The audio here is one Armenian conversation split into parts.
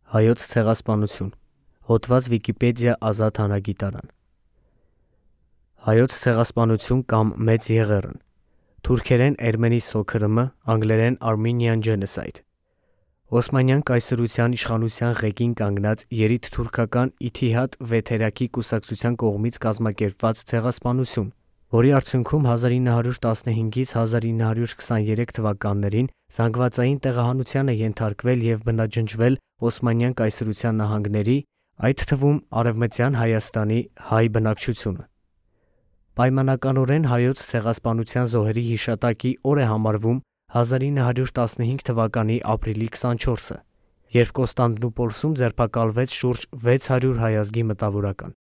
Հայոց ցեղասպանություն։ Հոդված Վիկիպեդիա Ազատ հանագիտարան։ Հայոց ցեղասպանություն կամ Մեծ Եղեռն։ Թուրքերեն Ermeni Soykırımı, անգլերեն Armenian Genocide։ Օսմանյան կայսրության իշխանության ղեկին կանգնած երիտթուրքական Իթիհադ Վեթերակի կուսակցության կողմից կազմակերպված ցեղասպանություն, որի արդյունքում 1915-ից 1923 թվականներին զանգվածային տեղահանության է ենթարկվել և բնաջնջվել Օսմանյան կայսրության նահանգների, այդ թվում Արևմտյան Հայաստանի հայ բնակչությունը։ Պայմանականորեն Հայոց ցեղասպանության զոհերի հիշատակի օր է համարվում 1915 թվականի ապրիլի 24-ը, երբ Կոստանդնուպոլսում ձերբակալվեց շուրջ 600 հայազգի մտավորական։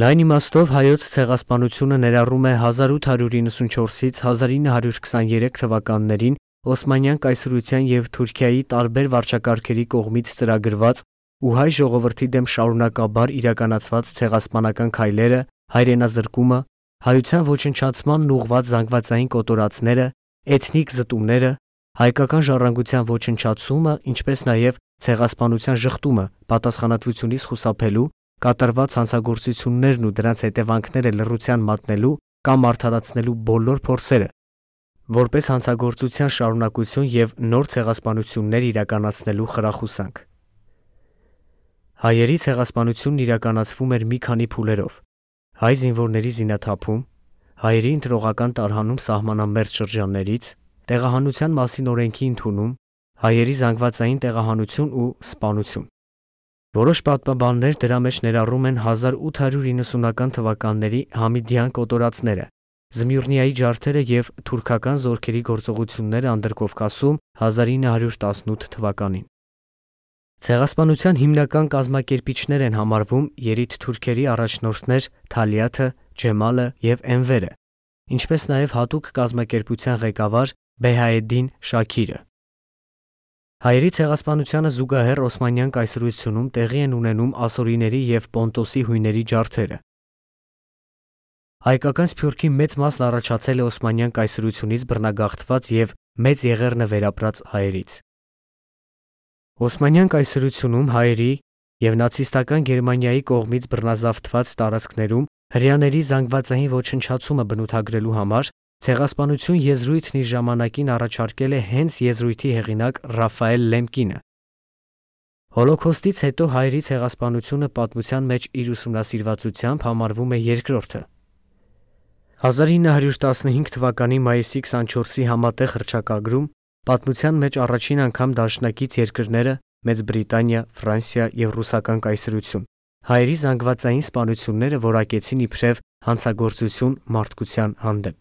Լայն իմաստով Հայոց ցեղասպանությունը ներառում է 1894-ից 1923 թվականներին Օսմանյան կայսրության և Թուրքիայի տարբեր վարչակարգերի կողմից ծրագրված ու հայ ժողովրդի դեմ շարունակաբար իրականացված ցեղասպանական քայլերը, հայրենազրկումը, հայության ոչնչացմանն ուղղված զանգվածային կոտորածները, էթնիկ զտումները, հայկական ժառանգության ոչնչացումը, ինչպես նաև ցեղասպանության ժխտումը պատասխանատվությունից խուսափելու, կատարված հանցագործություններն ու դրանց հետևանքները լռության մատնելու կամ արդարացնելու բոլոր փորձերը, որպես հանցագործության շարունակություն և նոր ցեղասպանություններ իրականացնելու խրախուսանք։ Հայերի ցեղասպանությունն իրականացվում էր մի քանի փուլերով. հայ զինվորների զինաթափում, հայերի ընտրողական տարհանում սահմանամերձ շրջաններից, տեղահանության մասին օրենքի ընդունում, հայերի զանգվածային տեղահանություն ու սպանություն։ Որոշ պատմաբաններ դրա մեջ ներառում են 1890-ական թվականների Համիդյան կոտորածները, Զմյուրնիայի ջարդերը և թուրքական զորքերի գործողությունները Անդրկովկասում 1918 թվականին։ Ցեղասպանության հիմնական կազմակերպիչներ են համարվում երիտթուրքերի առաջնորդներ Թալիաթը, Ջեմալը և Էնվերը, ինչպես նաև հատուկ կազմակերպության ղեկավար Բեհաեդդին Շաքիրը։ Հայերի ցեղասպանությանը զուգահեռ Օսմանյան կայսրությունում տեղի են ունենում ասորիների և Պոնտոսի հույների ջարդերը։ Հայկական սփյուռքի մեծ մասն առաջացել է Օսմանյան կայսրությունից բռնագաղթված և Մեծ Եղեռնը վերապրած հայերից։ Օսմանյան կայսրությունում հայերի և նացիստական Գերմանիայի կողմից բռնազավթված տարածքներում հրեաների զանգվածային ոչնչացումը բնութագրելու համար ցեղասպանություն եզրույթն իր ժամանակին առաջարկել է հենց եզրույթի հեղինակ Ռաֆայել Լեմկինը։ Հոլոքոստից հետո հայերի ցեղասպանությունը պատմության մեջ իր ուսումնասիրվածությամբ համարվում է երկրորդը։ 1915 թվականի մայիսի 24-ի համատեղ հռչակագրում պատմության մեջ առաջին անգամ դաշնակից երկրները Մեծ Բրիտանիա, Ֆրանսիա և Ռուսական կայսրություն հայերի զանգվածային սպանությունները որակեցին իբրև հանցագործություն մարդկության հանդեպ։